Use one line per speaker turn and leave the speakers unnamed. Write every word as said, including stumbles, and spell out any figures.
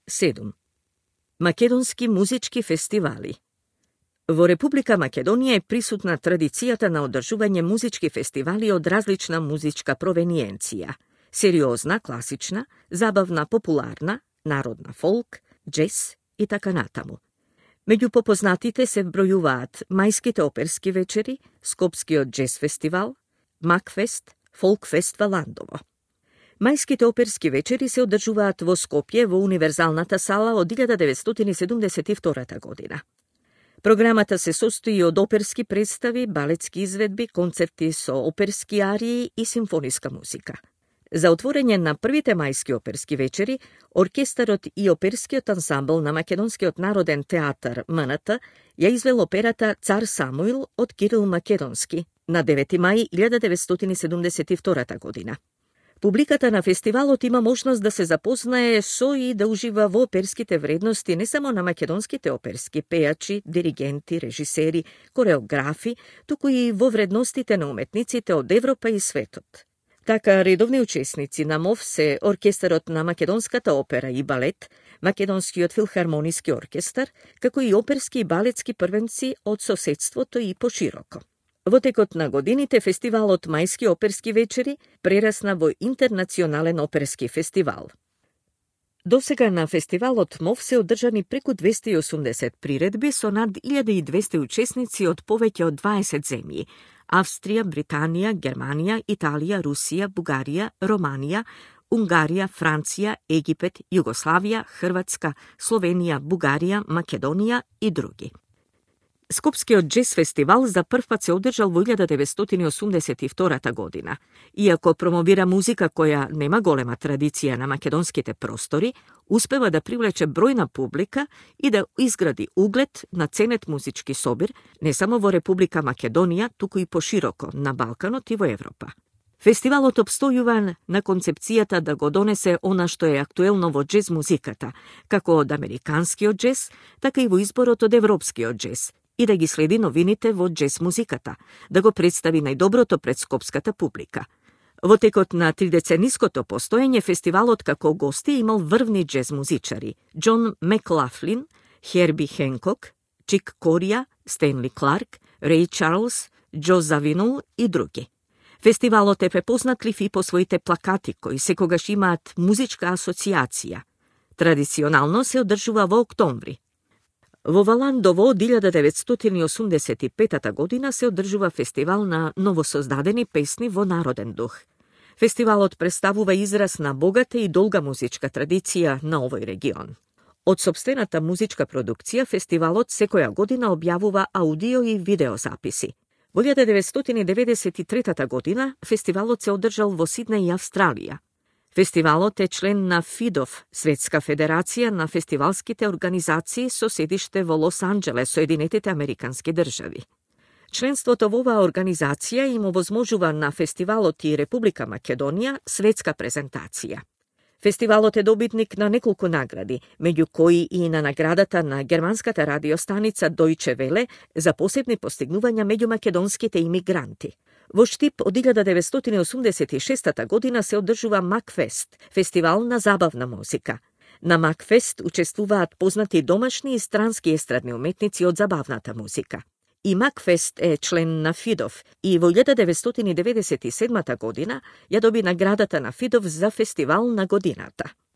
седум. Македонски музички фестивали. Во Република Македонија е присутна традицијата на одржување музички фестивали од различна музичка провениенција. Сериозна, класична, забавна, популарна, народна фолк, джез и така натаму. Меѓу попознатите се вбројуваат Мајските оперски вечери, Скопскиот джез фестивал, Макфест, Фолкфест во Ландово. Мајските оперски вечери се одржуваат во Скопје во Универзалната сала од илјада деветстотини седумдесет и втора година. Програмата се состои од оперски представи, балетски изведби, концерти со оперски арии и симфониска музика. За отворење на првите мајски оперски вечери, оркестарот и оперскиот ансамбл на Македонскиот народен театар М Н Т ја извел операта Цар Самуил од Кирил Македонски на девети мај илјада деветстотини седумдесет и втора година. Публиката на фестивалот има можност да се запознае со и да ужива во оперските вредности не само на македонските оперски пејачи, диригенти, режисери, кореографи, туку и во вредностите на уметниците од Европа и светот. Така, редовни учесници на МОВ се оркестарот на Македонската опера и балет, Македонскиот филхармониски оркестар, како и оперски и балетски првенци од соседството и пошироко. Во текот на годините фестивалот Мајски оперски вечери прерасна во интернационален оперски фестивал. Досега на фестивалот МОВ се одржани преку двесте и осумдесет приредби со над илјада и двесте учесници од повеќе од дваесет земји: Австрија, Британија, Германија, Италија, Русија, Бугарија, Романија, Унгарија, Франција, Египет, Југославија, Хрватска, Словенија, Бугарија, Македонија и други. Скопскиот джез фестивал за прв пат се одржал во илјада деветстотини осумдесет и втора година. Иако промовира музика која нема голема традиција на македонските простори, успева да привлече бројна публика и да изгради углед на ценет музички собир не само во Република Македонија, туку и пошироко на Балканот и во Европа. Фестивалот обстојува на концепцијата да го донесе она што е актуелно во джез музиката, како од американскиот джез, така и во изборот од европскиот джез, и да ги следи новините во джез музиката, да го представи најдоброто пред скопската публика. Во текот на тридецениското постоење фестивалот како гости имал врвни джез музичари: Џон Маклафлин, Херби Хенкок, Чик Корија, Стенли Кларк, Реј Чарлс, Џо Завинул и други. Фестивалот е препознатлив и по своите плакати, кои секогаш имаат музичка асоциација. Традиционално се одржува во октомври. Во Валандово од илјада деветстотини осумдесет и пета година се одржува фестивал на новосоздадени песни во народен дух. Фестивалот представува израз на богата и долга музичка традиција на овој регион. Од сопствената музичка продукција, фестивалот секоја година објавува аудио и видеозаписи. Во илјада деветстотини деветдесет и трета година фестивалот се одржал во Сиднеј, Австралија. Фестивалот е член на ФИДОВ, Светска федерација на фестивалските организации со седиште во Лос Анџелес, Соединетите Американски држави. Членството во оваа организација им овозможува на фестивалот и Република Македонија светска презентација. Фестивалот е добитник на неколку награди, меѓу кои и на наградата на германската радиостаница Deutsche Welle за посебни постигнувања меѓу македонските имигранти. Во Штип од илјада деветстотини осумдесет и шеста година се одржува Макфест, фестивал на забавна музика. На Макфест учествуваат познати домашни и странски естрадни уметници од забавната музика. И Макфест е член на ФИДОВ и во илјада деветстотини деветдесет и седма година ја доби наградата на ФИДОВ за фестивал на годината.